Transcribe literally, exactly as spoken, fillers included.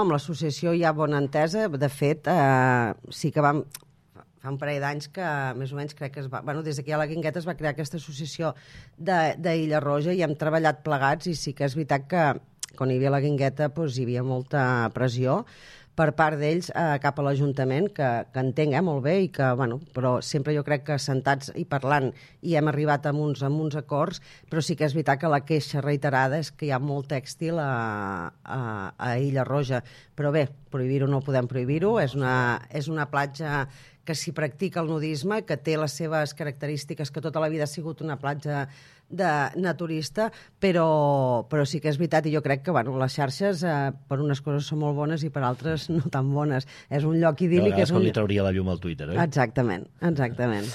Amb l'associació hi ha bona entesa. De fet, eh, sí que vam... Fa un parell d'anys que, més o menys, crec que es va... Bueno, des que hi ha la Guingueta es va crear aquesta associació d'Illa Roja i hem treballat plegats i sí que és veritat que quan hi havia la Guingueta doncs, hi havia molta pressió per part d'ells eh, cap a l'Ajuntament, que, que entenc eh, molt bé, i que, bueno, però sempre jo crec que sentats i parlant i hem arribat a uns, a uns acords, però sí que és veritat que la queixa reiterada és que hi ha molt tèxtil a, a, a Illa Roja. Però bé, prohibir-ho no podem prohibir-ho, és una, és una platja que s'hi practica el nudisme, que té les seves característiques, que tota la vida ha sigut una platja de naturista, però, però sí que és veritat, i jo crec que bueno, les xarxes eh, per unes coses són molt bones i per altres no tan bones. És un lloc idíl·lic. A vegades és un... com li trauria la llum al Twitter, oi? Exactament, exactament.